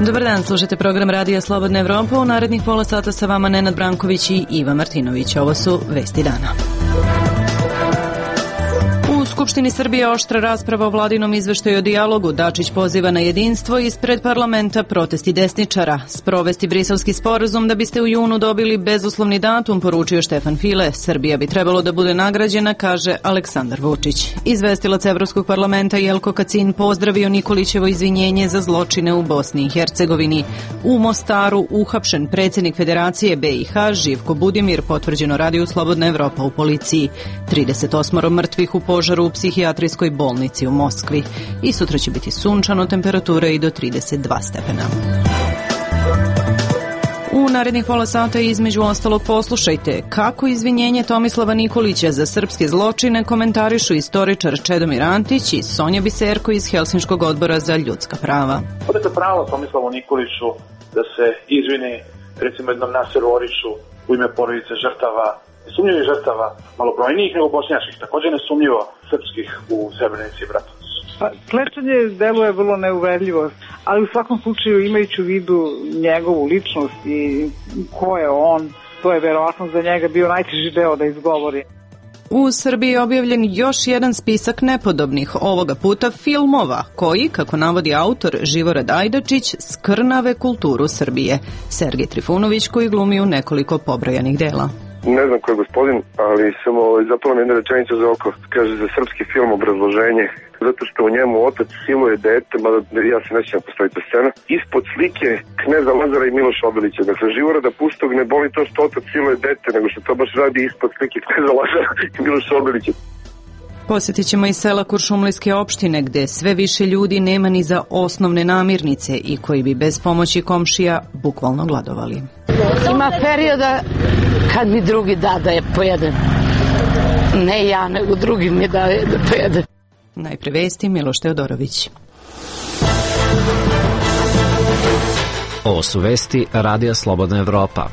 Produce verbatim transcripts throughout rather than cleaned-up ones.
Dobar dan, slušate program Radija Slobodna Evropa. U narednih pola sata sa vama Nenad Branković i Iva Martinović. Ovo su vesti dana. U Skupštini Srbije oštra rasprava o vladinom izveštaju o dijalogu. Dačić poziva na jedinstvo, ispred parlamenta protesti desničara. Sprovesti briselski sporazum da biste u junu dobili bezuslovni datum, poručio Štefan File. Srbija bi trebalo da bude nagrađena, kaže Aleksandar Vučić. Izvestilac Evropskog parlamenta Jelko Kacin pozdravio Nikolićevo izvinjenje za zločine u Bosni i Hercegovini. U Mostaru uhapšen predsjednik Federacije B i H Živko Budimir, potvrđeno Radiju Slobodna Evropa u policiji. trideset osam mrtvih u požaru u psihijatrijskoj bolnici u Moskvi. I sutra će biti sunčano, temperatura i do trideset dva stepena. U narednih pola sata između ostalog poslušajte kako izvinjenje Tomislava Nikolića za srpske zločine komentarišu istoričar Čedomir Antić i Sonja Biserko iz Helsinškog odbora za ljudska prava. Odete pravo Tomislavu Nikoliću da se izvini recimo jednom Naseru Oriću u ime porodice žrtava, nesumnjivih žrtava, malobrojnijih nego bošnjačkih, također nesumnjivo srpskih u Srebrenici i Bratuncu. Pa, klečanje deluje vrlo neuverljivo, ali u svakom slučaju imajući u vidu njegovu ličnost i ko je on, to je verovatno za njega bio najteži deo da izgovori. U Srbiji je objavljen još jedan spisak nepodobnih, ovoga puta filmova, koji, kako navodi autor Živorad Ajdačić, skrnave kulturu Srbije. Sergej Trifunović, koji glumi u nekoliko pobrojanih dela. Ne znam ko je gospodin, ali samo zapala mi jedna rečenica za oko. Kaže za srpski film obrazloženje, zato što u njemu otac siluje dete, mada ja se nećem postoji ta scena, ispod slike kneza Lazara i Miloša Obilića. Dakle, Živorada Pustog ne boli to što otac siluje dete, nego što to baš radi ispod slike kneza Lazara i Miloša Obilića. Posjetit ćemo i sela Kuršumlijske opštine, gde sve više ljudi nema ni za osnovne namirnice i koji bi bez pomoći komšija bukvalno gladovali. Ima perioda kad mi drugi da da je pojedem. Ne ja, nego drugi mi da da pojedem. Najpre vesti, Miloš Teodorović. Ovo su vesti Radija Slobodna Evropa.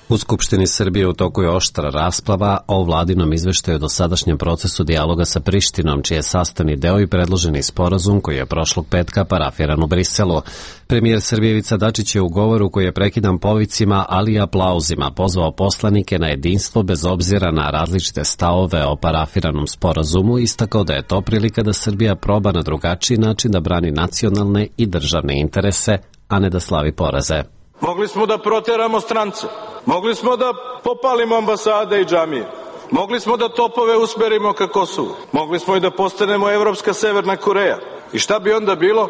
U Skupštini Srbije u toku je oštra rasprava o vladinom izveštaju o dosadašnjem procesu dijaloga sa Prištinom, čiji je sastavni deo i predloženi sporazum koji je prošlog petka parafiran u Briselu. Premijer Srbije Ivica Dačić je u govoru koji je prekidan povicima, ali i aplauzima, pozvao poslanike na jedinstvo bez obzira na različite stavove o parafiranom sporazumu, istakao da je to prilika da Srbija proba na drugačiji način da brani nacionalne i državne interese, a ne da slavi poraze. Mogli smo da proteramo strance, mogli smo da popalimo ambasade i džamije, mogli smo da topove usmerimo ka Kosovu, mogli smo i da postanemo evropska Severna Koreja. I šta bi onda bilo?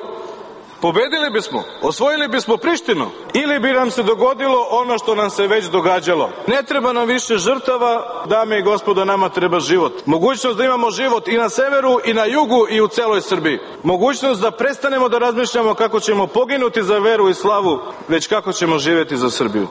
Pobedili bismo, osvojili bismo Prištinu ili bi nam se dogodilo ono što nam se već događalo. Ne treba nam više žrtava, dame i gospodo, nama treba život. Mogućnost da imamo život i na severu i na jugu i u celoj Srbiji. Mogućnost da prestanemo da razmišljamo kako ćemo poginuti za veru i slavu, već kako ćemo živjeti za Srbiju.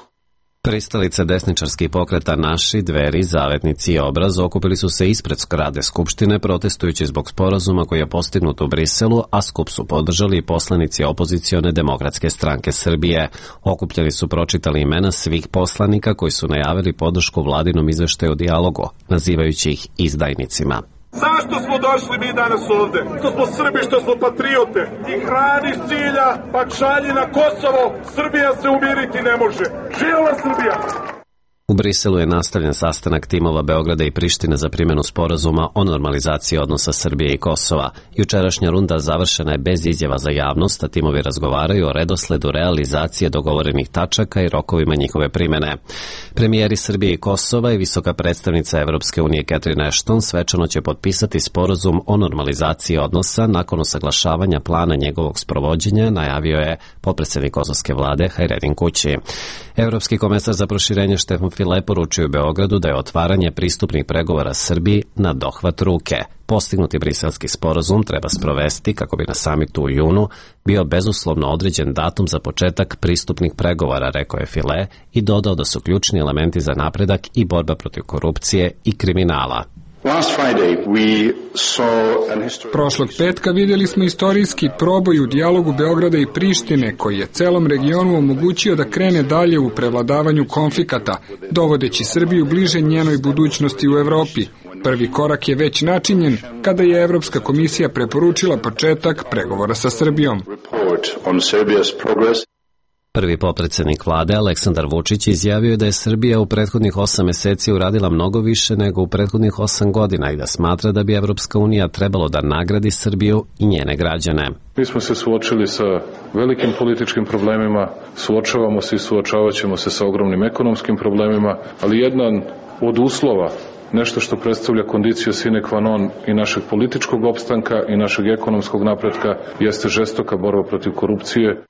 Pristalice desničarskih pokreta Naši, Dveri, Zavetnici i Obraz okupili su se ispred zgrade Skupštine protestujući zbog sporazuma koji je postignut u Briselu, a skup su podržali i poslanici opozicione Demokratske stranke Srbije. Okupljeni su pročitali imena svih poslanika koji su najavili podršku vladinom izveštaju o dijalogu, nazivajući ih izdajnicima. Zašto smo došli mi danas ovde? Što smo Srbi, što smo patriote. I hrani s cilja, pa šalji na Kosovo. Srbija se umiriti ne može. Živela Srbija! U Briselu je nastavljen sastanak timova Beograda i Prištine za primjenu sporazuma o normalizaciji odnosa Srbije i Kosova. Jučerašnja runda završena je bez izjava za javnost, a timovi razgovaraju o redosledu realizacije dogovorenih tačaka i rokovima njihove primjene. Premijeri Srbije i Kosova i visoka predstavnica Evropske unije Catherine Ashton svečano će potpisati sporazum o normalizaciji odnosa nakon usaglašavanja plana njegovog sprovođenja, najavio je potpredsednik kosovske vlade Hajredin Kući. Evropski komesar za proširenje Štefan File poručio u Beogradu da je otvaranje pristupnih pregovora Srbiji na dohvat ruke. Postignuti briselski sporazum treba sprovesti kako bi na samitu u junu bio bezuslovno određen datum za početak pristupnih pregovora, rekao je File i dodao da su ključni elementi za napredak i borba protiv korupcije i kriminala. Prošlog petka vidjeli smo istorijski proboj u dijalogu Beograda i Prištine, koji je celom regionu omogućio da krene dalje u prevladavanju konflikata, dovodeći Srbiju bliže njenoj budućnosti u Evropi. Prvi korak je već načinjen kada je Evropska komisija preporučila početak pregovora sa Srbijom. Prvi potpredsednik vlade Aleksandar Vučić izjavio je da je Srbija u prethodnih osam meseci uradila mnogo više nego u prethodnih osam godina i da smatra da bi Evropska unija trebalo da nagradi Srbiju i njene građane. Mi smo se suočili sa velikim političkim problemima, suočavamo se i suočavat ćemo se sa ogromnim ekonomskim problemima, ali jedan od uslova, nešto što predstavlja kondiciju sine qua non i našeg političkog opstanka i našeg ekonomskog napretka, jeste žestoka borba protiv korupcije.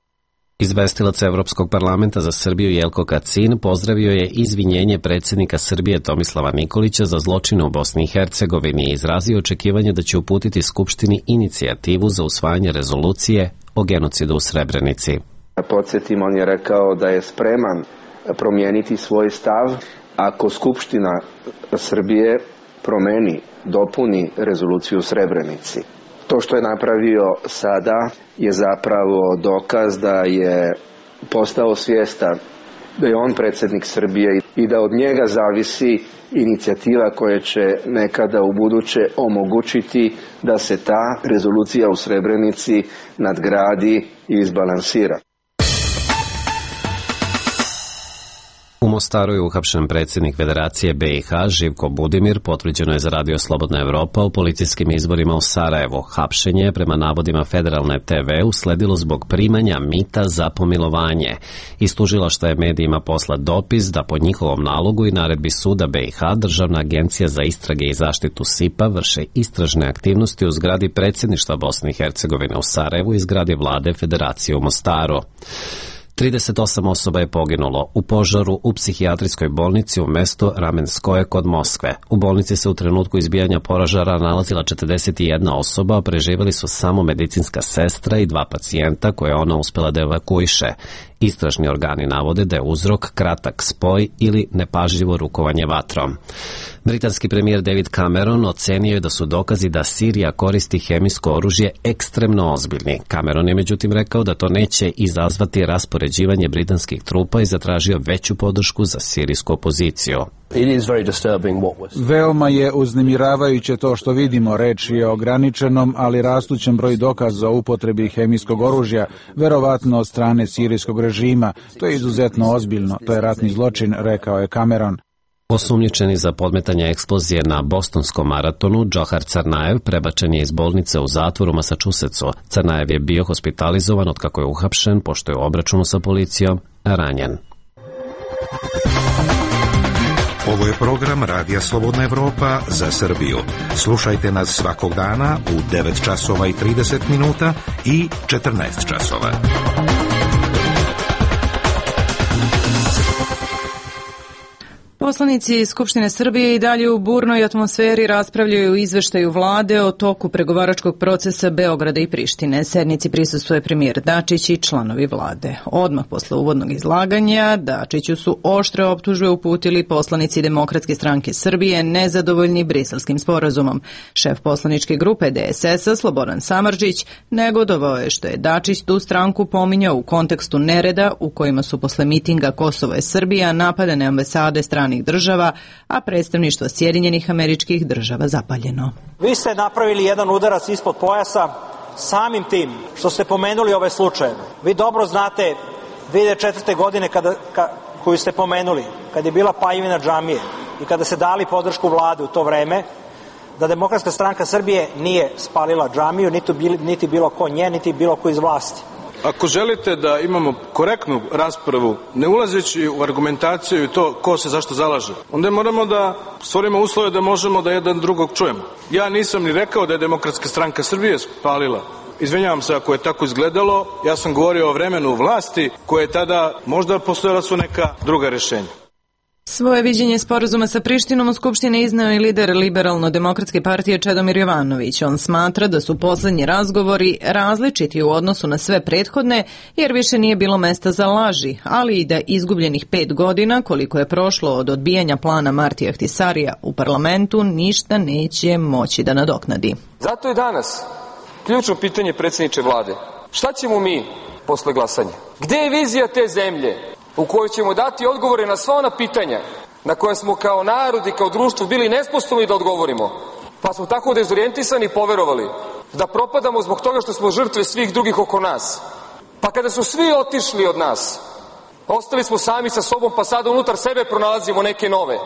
Izvestilac Evropskog parlamenta za Srbiju Jelko Kacin pozdravio je izvinjenje predsjednika Srbije Tomislava Nikolića za zločine u Bosni i Hercegovini i izrazio očekivanje da će uputiti Skupštini inicijativu za usvajanje rezolucije o genocidu u Srebrenici. Podsjetim, on je rekao da je spreman promijeniti svoj stav ako Skupština Srbije promeni, dopuni rezoluciju u Srebrenici. To što je napravio sada je zapravo dokaz da je postao svjestan da je on predsjednik Srbije i da od njega zavisi inicijativa koja će nekada u buduće omogućiti da se ta rezolucija u Srebrenici nadgradi i izbalansira. U Mostaru je uhapšen predsjednik Federacije B i H Živko Budimir, potvrđeno je za Radio Slobodna Evropa u policijskim izborima u Sarajevu. Hapšenje je prema navodima Federalne te ve usledilo zbog primanja mita za pomilovanje. Iz tužilaštva je medijima poslat dopis da po njihovom nalogu i naredbi suda B i H Državna agencija za istrage i zaštitu S I P A vrše istražne aktivnosti u zgradi predsjedništva Bosne i Hercegovine u Sarajevu i zgradi vlade Federacije u Mostaru. trideset osam osoba je poginulo u požaru u psihijatrijskoj bolnici u mestu Ramenskoje kod Moskve. U bolnici se u trenutku izbijanja požara nalazila četrdeset jedna osoba, a preživjeli su samo medicinska sestra i dva pacijenta koje je ona uspjela da evakuiše. Istražni organi navode da je uzrok kratak spoj ili nepažljivo rukovanje vatrom. Britanski premijer David Cameron ocenio je da su dokazi da Sirija koristi hemijsko oružje ekstremno ozbiljni. Cameron je međutim rekao da to neće izazvati raspoređivanje britanskih trupa i zatražio veću podršku za sirijsku opoziciju. Veoma je uznemiravajuće to što vidimo. Reč je o ograničenom, ali rastućem broju dokaza o upotrebi hemijskog oružja, verovatno od strane sirijskog režima. To je izuzetno ozbiljno. To je ratni zločin, rekao je Cameron. Osumnjičeni za podmetanje eksplozije na bostonskom maratonu, Džohar Carnajev prebačen je iz bolnice u zatvor u Massachusettsu. Carnajev je bio hospitalizovan od kako je uhapšen, pošto je u obračunu sa policijom ranjen. Ovo je program Radija Slobodna Evropa za Srbiju. Slušajte nas svakog dana u devet časova i trideset minuta i četrnaest časova. Poslanici Skupštine Srbije i dalje u burnoj atmosferi raspravljaju o izveštaju vlade o toku pregovaračkog procesa Beograda i Prištine. Sednici prisustvuje premijer Dačić i članovi vlade. Odmah posle uvodnog izlaganja Dačiću su oštre optužbe uputili poslanici Demokratske stranke Srbije nezadovoljni Briselskim sporazumom. Šef poslaničke grupe de es es a Slobodan Samardžić negodovao je što je Dačić tu stranku pominjao u kontekstu nereda u kojima su posle mitinga Kosovo je Srbija napadane ambasade stranih država, a predstavništvo Sjedinjenih Američkih Država zapaljeno. Vi ste napravili jedan udarac ispod pojasa samim tim što ste pomenuli ove slučajeve. Vi dobro znate dve hiljade četvrte. godine kada, ka, koju ste pomenuli, kada je bila paljevina džamije i kada se dali podršku vlade u to vreme, da Demokratska stranka Srbije nije spalila džamiju, niti, niti bilo ko nje, niti bilo ko iz vlasti. Ako želite da imamo korektnu raspravu, ne ulazeći u argumentaciju i to ko se zašto zalaže, onda moramo da stvorimo uslove da možemo da jedan drugog čujemo. Ja nisam ni rekao da je Demokratska stranka Srbije spalila. Izvinjavam se ako je tako izgledalo, ja sam govorio o vremenu vlasti koje je tada možda postojala su neka druga rješenja. Svoje viđenje sporazuma sa Prištinom u Skupštini izneo i lider Liberalno-demokratske partije Čedomir Jovanović. On smatra da su poslednji razgovori različiti u odnosu na sve prethodne, jer više nije bilo mesta za laži, ali i da izgubljenih pet godina, koliko je prošlo od odbijanja plana Martija Ahtisarija u parlamentu, ništa neće moći da nadoknadi. Zato je danas ključno pitanje predsjedniče vlade. Šta ćemo mi posle glasanja? Gde je vizija te zemlje u kojoj ćemo dati odgovore na sva ona pitanja na koje smo kao narod i kao društvo bili nesposobni da odgovorimo, pa smo tako dezorijentisani poverovali da propadamo zbog toga što smo žrtve svih drugih oko nas. Pa kada su svi otišli od nas, ostali smo sami sa sobom, pa sada unutar sebe pronalazimo neke nove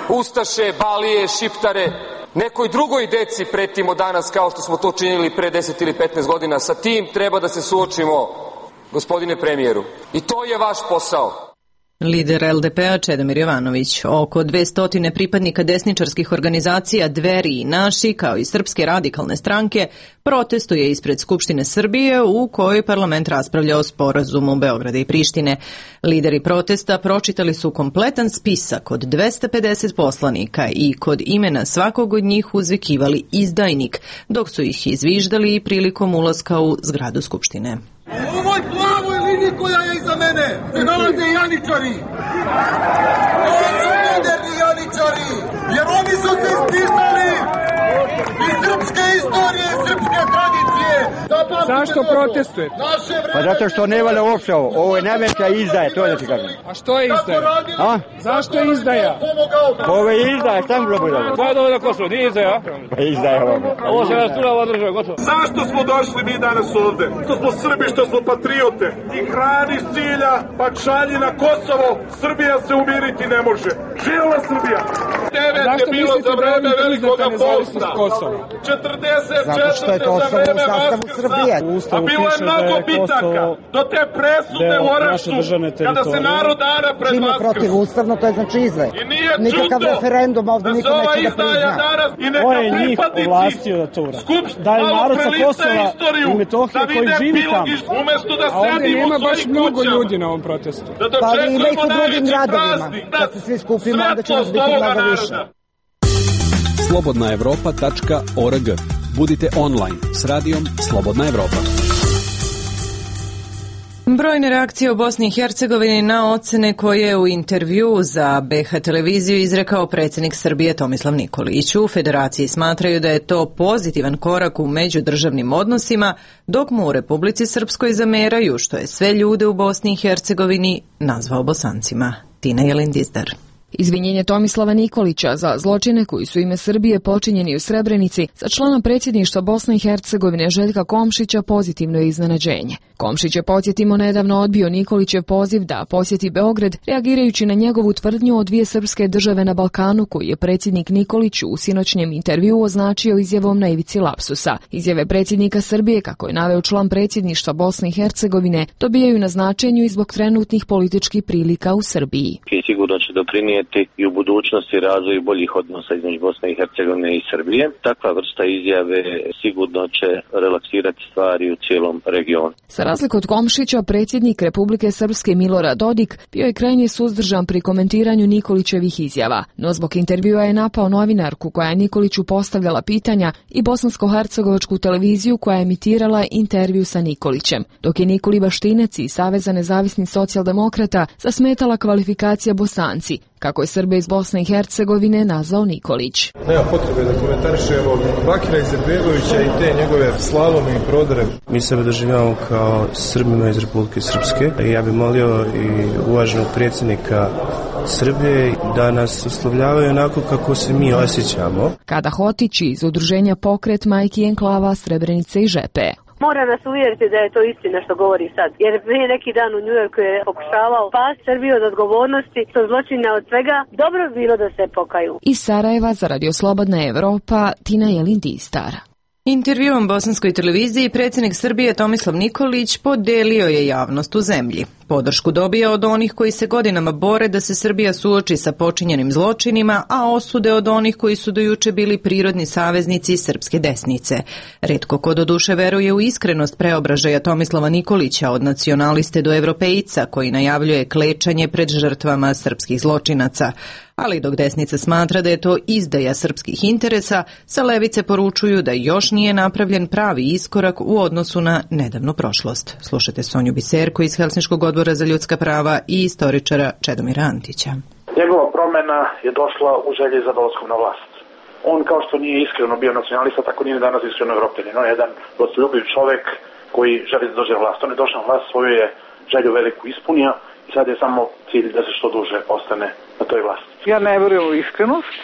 ustaše, balije, šiptare, nekoj drugoj deci pretimo danas kao što smo to činili pre deset ili petnaest godina. Sa tim treba da se suočimo, gospodine premijeru. I to je vaš posao. Lider el de pe-a Čedomir Jovanović. Oko dvesta pripadnika desničarskih organizacija Dveri i Naši, kao i Srpske radikalne stranke, protestuje ispred Skupštine Srbije u kojoj parlament raspravlja o sporazumu Beograda i Prištine. Lideri protesta pročitali su kompletan spisak od dvesta pedeset poslanika i kod imena svakog od njih uzvikivali izdajnik, dok su ih izviždali i prilikom ulaska u zgradu Skupštine. U ovoj plavoj liniji koja je iza mene se nalaze janičari. Ovo su moderni janičari, jer oni su se ispisali iz srpske istorije, srpske tradicije. Zašto protestujete? Pa zato što ne valja uopšte ovo. Ovo je najveća izdaja, to da ti kažem. A što je izdaja? A? Zašto je izdaja? Ovo je izdaja, šta mi bilo bilo? Ko je dovoljno Kosovo, nije izdaja? Pa izdaja ovo. Ovo se rasturava država, gotovo. Zašto smo došli mi danas ovde? Što smo Srbi, što smo patriote. I hrani s cilja, pa šalji na Kosovo. Srbija se umiriti ne može. Živela Srbija! devet je bilo za vreme Velikoga posta. četrdeset četvrte za vreme Vaskrsa. A bilo je mnogo bitaka. Do te presude u Orašcu, kada se narod dara pred Vaskrs. Protivustavno, to je znači izve. I nije nikakav čudo referendum ovde da se niko ova neće da izdaja prizna. danas i neka Ko je njih pripadnici ovlastio da to uradi? Skupština Da je narod sa Kosova istoriju, i Metohije da koji vide živi tamo. Bilogiš, umesto da A ovde sedimo nema u baš svojim mnogo kućama. ljudi na ovom protestu. Da Pa ali ima ih dočekujemo u drugim najveći gradovima. praznik, Kad se svi skupimo, onda će nas biti mnogo više. slobodna evropa tačka org. Budite online s radijom Slobodna Evropa. Brojne reakcije u Bosni i Hercegovini na ocene koje je u intervju za be ha televiziju izrekao predsjednik Srbije Tomislav Nikolić. U Federaciji smatraju da je to pozitivan korak u međudržavnim odnosima, dok mu u Republici Srpskoj zameraju što je sve ljude u Bosni i Hercegovini nazvao Bosancima. Tina Jelindizdar. Izvinjenje Tomislava Nikolića za zločine koji su ime Srbije počinjeni u Srebrenici za člana predsjedništva Bosne i Hercegovine Željka Komšića pozitivno je iznenađenje. Komšić je, podsjetimo, nedavno odbio Nikolićev poziv da posjeti Beograd, reagirajući na njegovu tvrdnju o dvije srpske države na Balkanu, koji je predsjednik Nikolić u sinoćnjem intervjuu označio izjavom na ivici lapsusa. Izjave predsjednika Srbije, kako je naveo član predsjedništva Bosne i Hercegovine, dobijaju na značenju i zbog trenutnih političkih prilika u Srbiji. Sigurno će doprinijeti i u budućnosti razvoju boljih odnosa između Bosne i Hercegovine i Srbije. Takva vrsta izjave sigurno će relaksirati stvari u cijelom regionu. Za razliku od Komšića, predsjednik Republike Srpske Milorad Dodik bio je krajnje suzdržan pri komentiranju Nikolićevih izjava, no zbog intervjua je napao novinarku koja je Nikoliću postavljala pitanja i bosansko-hercegovačku televiziju koja je emitirala intervju sa Nikolićem, dok je Nikoli Baštinec i Saveza nezavisnih socijaldemokrata zasmetala kvalifikacija Bosanci, kako je Srbe iz Bosne i Hercegovine nazvao Nikolić. Nema potrebe da komentarišemo Bakira Izetbegovića i te njegove slalome i prodore. Mi sebe doživljavamo kao Srbima iz Republike Srpske. Ja bih molio i uvaženog predsjednika Srbije da nas uslovljavaju onako kako se mi osjećamo. Kada Hotić iz udruženja Pokret majki enklava Srebrenice i Žepe. Mora nas uvjeriti da je to istina što govori sad. Jer prije neki dan u Njujorku je pokušavao pas Srbiju od odgovornosti, što zločina od svega. Dobro bi bilo da se pokaju. Iz Sarajeva za Radio Slobodna Evropa, Tina Jelindistar. Intervjuom bosanskoj televiziji predsjednik Srbije Tomislav Nikolić podelio je javnost u zemlji. Podršku dobija od onih koji se godinama bore da se Srbija suoči sa počinjenim zločinima, a osude od onih koji su do juče bili prirodni saveznici srpske desnice. Retko ko doduše veruje u iskrenost preobražaja Tomislava Nikolića od nacionaliste do evropejca koji najavljuje klečanje pred žrtvama srpskih zločinaca. Ali dok desnica smatra da je to izdaja srpskih interesa, sa levice poručuju da još nije napravljen pravi iskorak u odnosu na nedavnu prošlost. Slušajte Sonju Biserko iz Helsinškog odbora za ljudska prava i istoričara Čedomira Antića. Njegova promjena je došla u želji za dolaskom na vlast. On kao što nije iskreno bio nacionalista, tako nije danas iskreno evropljanin. On je jedan gostoljubiv čovjek koji želi da dođe na vlast. On je došao na vlast, svoju je želju veliku ispunio Sad je samo cilj da se što duže ostane na toj vlasti. Ja ne verujem u iskrenost,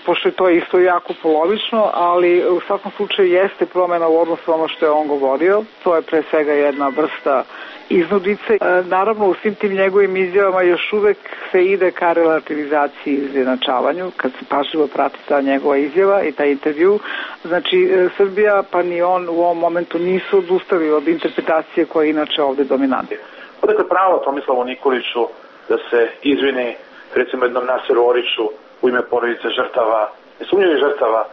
pošto je to isto jako polovično, ali u svakom slučaju jeste promjena u odnosu ono što je on govorio. To je pre svega jedna vrsta iznudice. Naravno, u svim tim njegovim izjavama još uvek se ide ka relativizaciji i izjednačavanju, kad se pažljivo prati ta njegova izjava i taj intervju. Znači, Srbija pa ni on u ovom momentu nisu odustali od interpretacije koja je inače ovde dominantna. Odakle pravo Tomislavu Nikoliću da se izvini recimo jednom Naseru Oriću u ime porodice žrtava, nesumnjivih žrtava, e,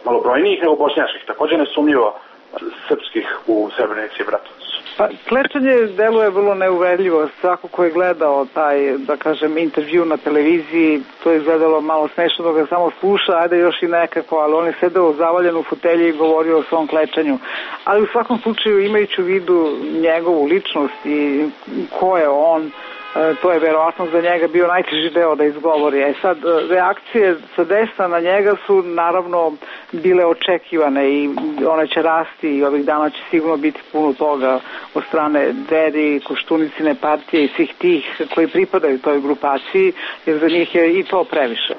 malobrojnijih nego bošnjačkih, također nesumnjivo srpskih u Srebrenici i Bratuncu. Pa, klečanje deluje vrlo neuverljivo. Svako ko je gledao taj, da kažem, intervju na televiziji, to je izgledalo malo smešno da ga samo sluša, ajde još i nekako, ali on je sedeo zavaljen u fotelji i govorio o svom klečanju. Ali u svakom slučaju, imajući u vidu njegovu ličnost i ko je on, to je verovatno za njega bio najteži deo da izgovori. E sad, reakcije sa desna na njega su naravno bile očekivane i one će rasti i ovih dana će sigurno biti puno toga od strane Dveri, Koštunicine partije i svih tih koji pripadaju toj grupaciji, jer za njih je i to previše.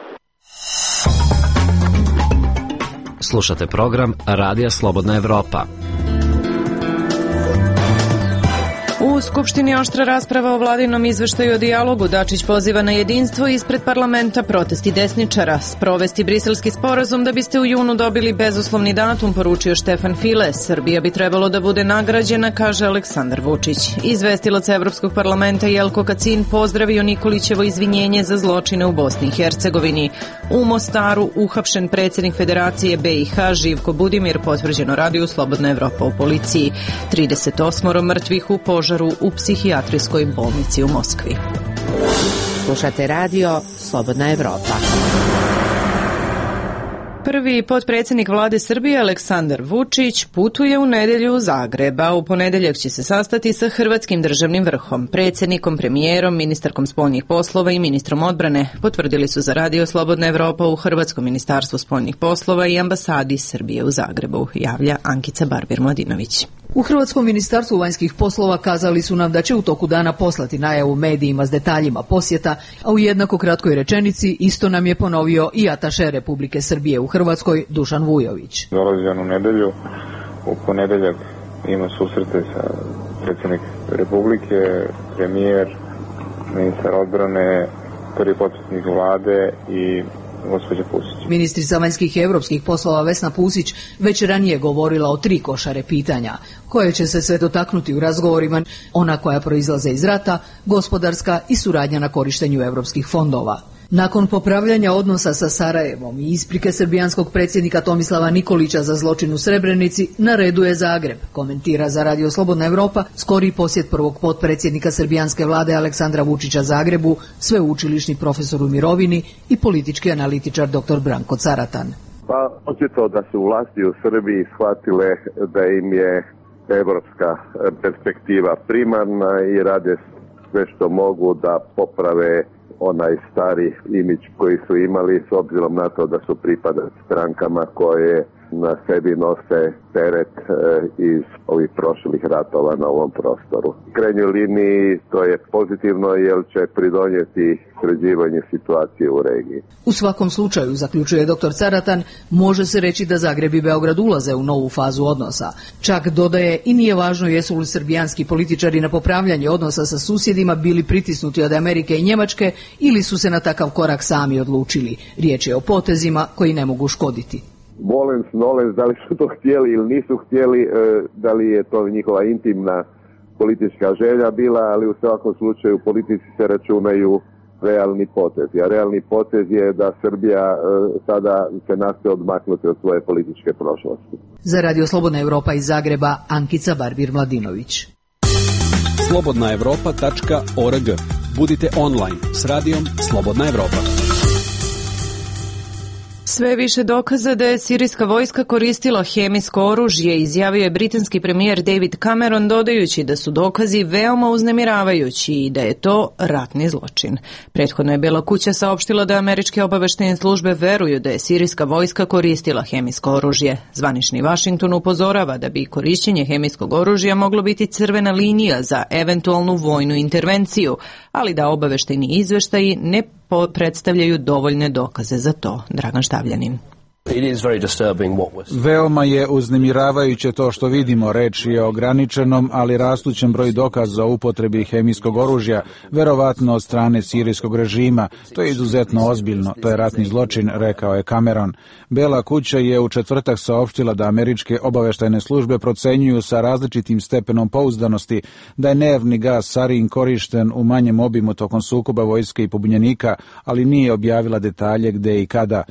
Slušate program Radija Slobodna Evropa. U Skupštini oštra rasprava o vladinom izveštaju o dijalogu. Dačić poziva na jedinstvo ispred parlamenta, protesti desničara. Sprovesti briselski sporazum da biste u junu dobili bezuslovni datum, poručio Štefan File. Srbija bi trebalo da bude nagrađena, kaže Aleksandar Vučić. Izvestilac Evropskog parlamenta Jelko Kacin pozdravio Nikolićevo izvinjenje za zločine u Bosni i Hercegovini. U Mostaru uhapšen predsjednik Federacije B i H Živko Budimir, potvrđeno Radiju Slobodna Evropa u policiji. trideset osam mrtvih u požaru u psihijatrijskoj bolnici u Moskvi. Slušate radio Slobodna Evropa. Prvi potpredsjednik vlade Srbije Aleksandar Vučić putuje u nedelju u Zagreb, a u ponedeljak će se sastati sa hrvatskim državnim vrhom, predsjednikom, premijerom, ministarkom spoljnih poslova i ministrom odbrane, potvrdili su za Radio Slobodna Evropa u Hrvatskom ministarstvu spoljnih poslova i ambasadi Srbije u Zagrebu, javlja Ankica Barbir-Mladinović. U Hrvatskom ministarstvu vanjskih poslova kazali su nam da će u toku dana poslati najavu medijima s detaljima posjeta, a u jednako kratkoj rečenici isto nam je ponovio i ataše Republike Srbije u Hrvatskoj Dušan Vujović. Dolazi on u nedelju, u ponedeljak ima susrete sa predsjednik Republike, premijer, ministar odbrane, prvi potpredsjednik vlade i gospođa Pusić. Ministrica vanjskih i evropskih poslova Vesna Pusić već ranije govorila o tri košare pitanja, koje će se sve dotaknuti u razgovorima, ona koja proizlaze iz rata, gospodarska i suradnja na korištenju evropskih fondova. Nakon popravljanja odnosa sa Sarajevom i isprike srbijanskog predsjednika Tomislava Nikolića za zločin u Srebrenici, na redu je Zagreb, komentira za Radio Slobodna Evropa skori posjet prvog potpredsjednika srbijanske vlade Aleksandra Vučića Zagrebu, sveučilišni profesor u mirovini i politički analitičar dr Branko Caratan. Pa očito da su vlasti u Srbiji shvatile da im je evropska perspektiva primarna i rade sve što mogu da poprave onaj stari imidž koji su imali s obzirom na to da su pripadali strankama koje na sebi nose teret e, iz ovih prošlih ratova na ovom prostoru. U krajnjoj liniji to je pozitivno jer će pridonijeti sređivanju situacije u regiji. U svakom slučaju, zaključuje dr Caratan, može se reći da Zagreb i Beograd ulaze u novu fazu odnosa. Čak dodaje i nije važno jesu li srbijanski političari na popravljanje odnosa sa susjedima bili pritisnuti od Amerike i Njemačke ili su se na takav korak sami odlučili. Riječ je o potezima koji ne mogu škoditi. Volens, nolens, da li su to htjeli ili nisu htjeli, da li je to njihova intimna politička želja bila, ali u svakom slučaju politici se računaju realni potez. A realni potez je da Srbija sada se nastoji odmaknuti od svoje političke prošlosti. Za Radio Slobodna Evropa iz Zagreba, Ankica Barbir-Mladinović. slobodna evropa tačka org. Budite online s radijom Slobodna Evropa. Sve više dokaza da je sirijska vojska koristila hemijsko oružje, izjavio je britanski premijer David Cameron, dodajući da su dokazi veoma uznemiravajući i da je to ratni zločin. Prethodno je Bela kuća saopštila da američke obaveštajne službe veruju da je sirijska vojska koristila hemijsko oružje. Zvanični Washington upozorava da bi korišćenje hemijskog oružja moglo biti crvena linija za eventualnu vojnu intervenciju, ali da obaveštajni izveštaji ne predstavljaju dovoljne dokaze za to. Dragan Štavljanin. Veoma je uznemiravajuće to što vidimo. Reč je o ograničenom, ali rastućem broju dokaza o upotrebi hemijskog oružja, verovatno od strane sirijskog režima. To je izuzetno ozbiljno, to je ratni zločin, rekao je Cameron. Bela kuća je u četvrtak saopštila da američke obaveštajne službe procenjuju sa različitim stepenom pouzdanosti da je nervni gas sarin korišten u manjem obimu tokom sukoba vojske i pobunjenika, ali nije objavila detalje gde i kada.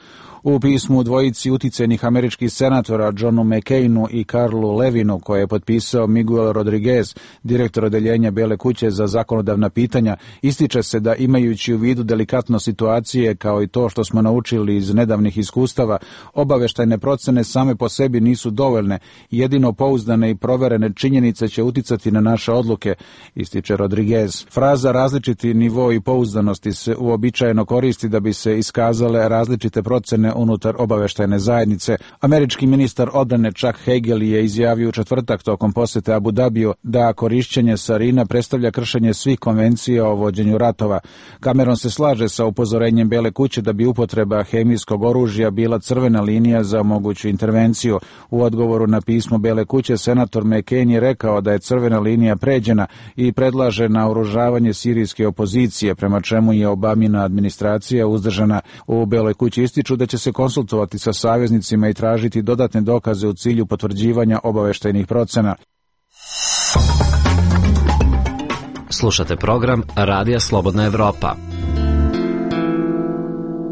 U pismu dvojici uticajnih američkih senatora Johnu McCainu i Karlu Levinu, koje je potpisao Miguel Rodriguez, direktor odeljenja Bele kuće za zakonodavna pitanja, ističe se da imajući u vidu delikatno situacije kao i to što smo naučili iz nedavnih iskustava, obaveštajne procene same po sebi nisu dovoljne, jedino pouzdane i proverene činjenice će uticati na naše odluke, ističe Rodriguez. Fraza različiti nivo i pouzdanosti se uobičajeno koristi da bi se iskazale različite procene unutar obaveštajne zajednice. Američki ministar odbrane Chuck Hagel je izjavio u četvrtak tokom posete Abu Dabiju da korišćenje sarina predstavlja kršenje svih konvencija o vođenju ratova. Cameron se slaže sa upozorenjem Bele kuće da bi upotreba hemijskog oružja bila crvena linija za moguću intervenciju. U odgovoru na pismo Bele kuće senator McCain je rekao da je crvena linija pređena i predlaže naoružavanje sirijske opozicije, prema čemu je Obamina administracija uzdržana. U Beloj kući ističu da će se konsultovati sa saveznicima i tražiti dodatne dokaze u cilju potvrđivanja obaveštajnih procena. Slušate program Radija Slobodna Evropa.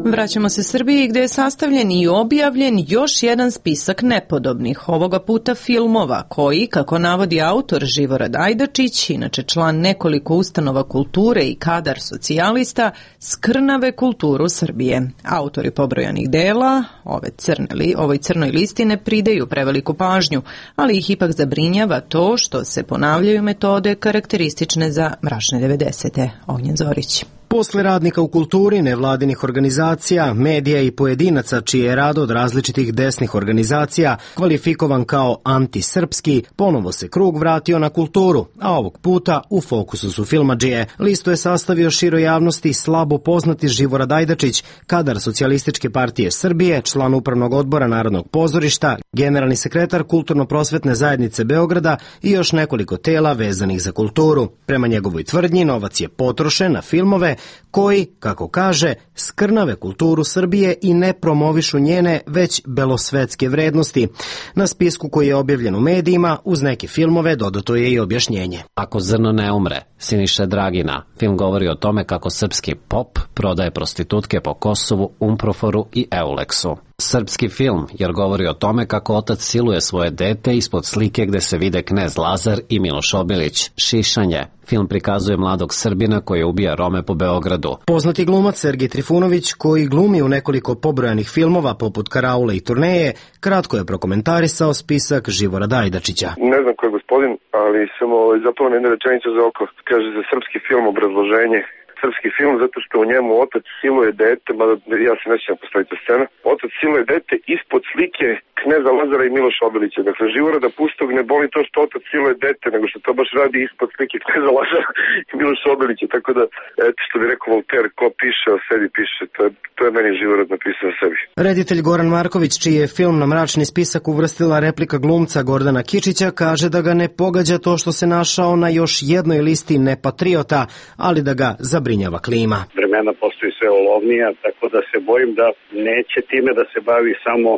Vraćamo se Srbiji gdje je sastavljen i objavljen još jedan spisak nepodobnih, ovoga puta filmova koji, kako navodi autor Živorad Ajdačić, inače član nekoliko ustanova kulture i kadar socijalista, skrnave kulturu Srbije. Autori pobrojanih dela ove crne li, ovoj crnoj listi ne pridaju preveliku pažnju, ali ih ipak zabrinjava to što se ponavljaju metode karakteristične za mračne devedesete. Ognjen Zorić. Posle radnika u kulturi, nevladinih organizacija, medija i pojedinaca čiji je rad od različitih desnih organizacija kvalifikovan kao antisrpski, ponovo se krug vratio na kulturu, a ovog puta u fokusu su filmadžije. Listu je sastavio široj javnosti slabo poznati Živorad Ajdačić, kadar Socijalističke partije Srbije, član upravnog odbora Narodnog pozorišta, generalni sekretar Kulturno-prosvetne zajednice Beograda i još nekoliko tela vezanih za kulturu. Prema njegovoj tvrdnji, novac je potrošen na filmove koji, kako kaže, skrnave kulturu Srbije i ne promovišu njene, već belosvetske vrednosti. Na spisku koji je objavljen u medijima, uz neke filmove dodato je i objašnjenje. Ako zrno ne umre, Siniše Dragina. Film govori o tome kako srpski pop prodaje prostitutke po Kosovu, Umproforu i Euleksu. Srpski film, jer govori o tome kako otac siluje svoje dete ispod slike gde se vide knez Lazar i Miloš Obilić. Šišanje. Film prikazuje mladog Srbina koji ubija Rome po Beogradu. Poznati glumac Sergij Trifunović, koji glumi u nekoliko pobrojanih filmova poput Karaule i Turneje, kratko je prokomentarisao spisak Živorada Ajdačića. Ne znam ko je gospodin, ali sam ovaj, zapao na jednu rečenicu za oko. Kaže za srpski film obrazloženje. Srpski film zato što u njemu otac siluje dete, mada ja se nećem postaviti ta scena, otac siluje dete ispod slike kneza Lazara i Miloša Obilića. Dakle, Živorada Pustog ne boli to što otac siluje dete, nego što to baš radi ispod slike kneza Lazara i Miloša Obilića. Tako da, eto što bi rekao Voltaire, ko piše o sebi piše, to je, to je meni Živorad napisao o sebi. Reditelj Goran Marković, čiji je film na mračni spisak uvrstila replika glumca Gordana Kičića, kaže da ga ne pogađa to što se našao na još jednoj listi nepatriota, ali da ga zabrinjava klima. Vremena postaju sve olovnija, tako da se bojim da neće time da se bavi samo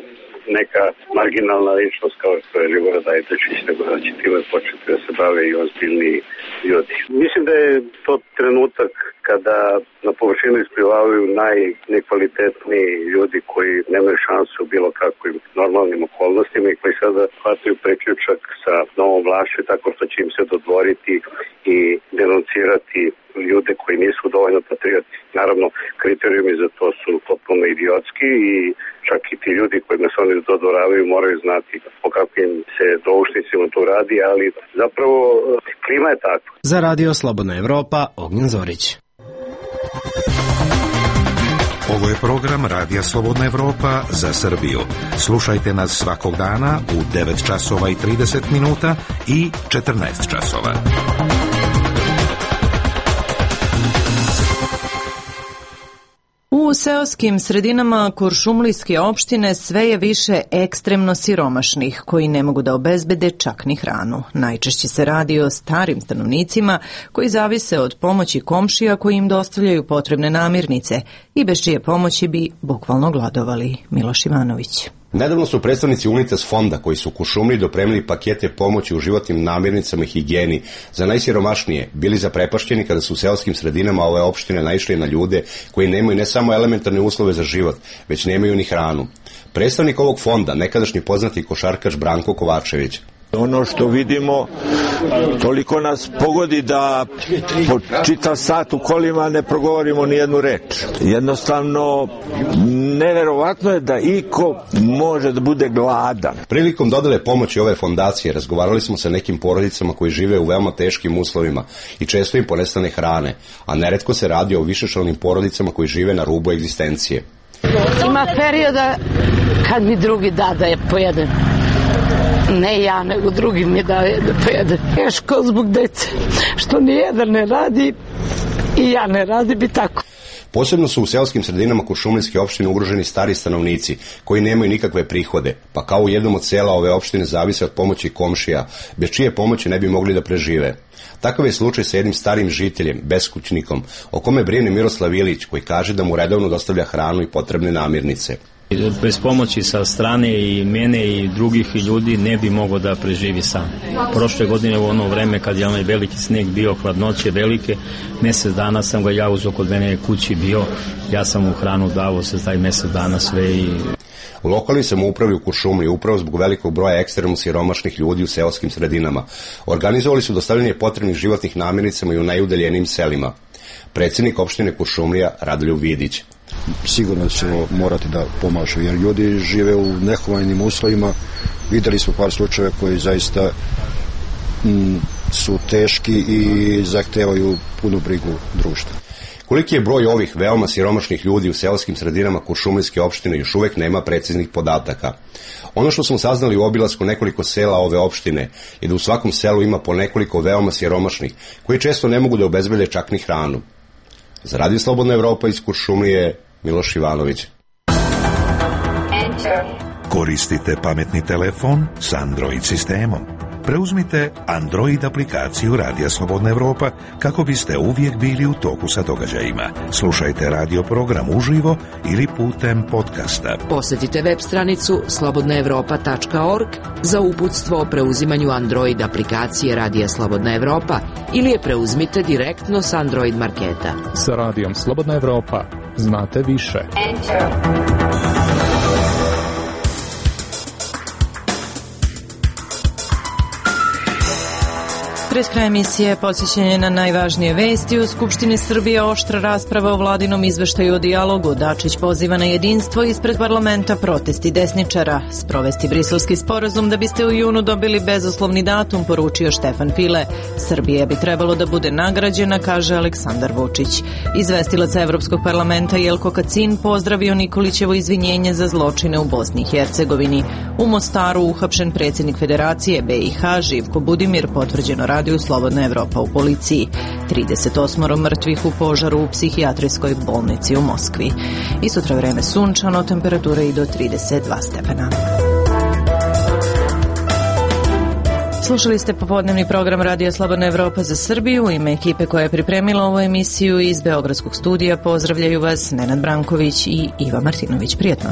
neka marginalna ličnost kao što je Živorad Ajdačić, nego da će time početi da se bave i ozbiljni ljudi. Mislim da je to trenutak kada na površinu isplivavaju najnekvalitetniji ljudi koji nemaju šansu u bilo kakvim normalnim okolnostima i koji sada hvataju preključak sa novom vlašću tako što će im se dodvoriti i denuncirati ljude koji nisu dovoljno patrioti. Naravno, kriterijumi za to su potpuno idiotski i čak i ti ljudi kojima se oni dodvoravaju moraju znati o kakvim se doušnicima tu radi, ali zapravo klima je takva. Za Radio Slobodna Evropa, Ognjen Zorić. Ovo je program Radija Slobodna Evropa za Srbiju. Slušajte nas svakog dana u devet časova i trideset minuta i četrnaest časova. U seoskim sredinama Kuršumlijske opštine sve je više ekstremno siromašnih koji ne mogu da obezbede čak ni hranu. Najčešće se radi o starim stanovnicima koji zavise od pomoći komšija koji im dostavljaju potrebne namirnice i bez čije pomoći bi bukvalno gladovali. Miloš Ivanović. Nedavno su predstavnici Unitas fonda koji su u Kuršumliji dopremili pakete pomoći u životnim namirnicama i higijeni za najsiromašnije bili zaprepašćeni kada su u seoskim sredinama ove opštine naišli na ljude koji nemaju ne samo elementarne uslove za život, već nemaju ni hranu. Predstavnik ovog fonda, nekadašnji poznati košarkaš Branko Kovačević. Ono što vidimo, toliko nas pogodi da po čitav sat u kolima ne progovorimo ni jednu reč. Jednostavno, neverovatno je da iko može da bude gladan. Prilikom dodele pomoći ove fondacije razgovarali smo sa nekim porodicama koji žive u veoma teškim uslovima i često im ponestane hrane, a neretko se radi o višečlanim porodicama koji žive na rubu egzistencije. Ima perioda kad mi drugi da da je pojedem. Ne ja, nego drugi mi daje da pojede. Teško zbog dece, što nijedan ne radi i ja ne radi bi tako. Posebno su u seoskim sredinama Kuršumlijske opštine ugroženi stari stanovnici koji nemaju nikakve prihode, pa kao u jednom od sela ove opštine zavise od pomoći komšija, bez čije pomoći ne bi mogli da prežive. Takav je slučaj sa jednim starim žiteljem, beskućnikom, o kome brine Miroslav Ilić, koji kaže da mu redovno dostavlja hranu i potrebne namirnice. Bez pomoći sa strane i mene i drugih ljudi ne bi mogao da preživi sam. Prošle godine u ono vreme kad je onaj veliki sneg bio, hladnoće velike, mjesec dana sam ga ja uzeo kod mene kući bio, ja sam mu hranu davo se taj mjesec dana sve i... U lokalnoj samoupravi u Kuršumliji, upravo zbog velikog broja ekstremno siromašnih ljudi u seoskim sredinama, organizovali su dostavljanje potrebnih životnih namirnicama i u najudaljenijim selima. Predsjednik opštine Kuršumlija Radoljub Vidić. Sigurno ćemo morati da pomažu, jer ljudi žive u nehumajnim uslovima. Videli smo par slučajeva koji zaista m, su teški i zahtevaju punu brigu društva. Koliki je broj ovih veoma siromašnih ljudi u seoskim sredinama Kuršumlijske opštine još uvek nema preciznih podataka. Ono što smo saznali u obilasku nekoliko sela ove opštine je da u svakom selu ima po nekoliko veoma siromašnih koji često ne mogu da obezbede čak ni hranu. Za Radio Slobodna Evropa iz Kuršumlije, Miloš Ivanović. Koristite pametni telefon s Android sistemom. Preuzmite Android aplikaciju Radija Slobodna Evropa kako biste uvijek bili u toku sa događajima. Slušajte radio program uživo ili putem podcasta. Posjetite web stranicu slobodna evropa tačka org za uputstvo o preuzimanju Android aplikacije Radija Slobodna Evropa ili je preuzmite direktno s Android marketa. Sa Radijom Slobodna Evropa znate više. Enter. Pred kraj emisije podsjećanje na najvažnije vesti. U Skupštini Srbije oštra rasprava o vladinom izveštaju o dijalogu. Dačić poziva na jedinstvo ispred parlamenta protesti desničara. Sprovesti briselski sporazum da biste u junu dobili bezuslovni datum, poručio Štefan File. Srbija bi trebalo da bude nagrađena, kaže Aleksandar Vučić. Izvestilac Evropskog parlamenta Jelko Kacin pozdravio Nikolićevo izvinjenje za zločine u Bosni i Hercegovini. U Mostaru uhapšen predsjednik Federacije B i H Živko Budimir, potvrđeno radi u Slobodna Evropa u policiji. trideset osam mrtvih u požaru u psihijatrijskoj bolnici u Moskvi. I sutra vreme sunčano, temperatura i do trideset dva stepena. Slušali ste popodnevni program Radija Slobodna Evropa za Srbiju. U ime ekipe koja je pripremila ovu emisiju iz Beogradskog studija pozdravljaju vas Nenad Branković i Iva Martinović. Prijetno.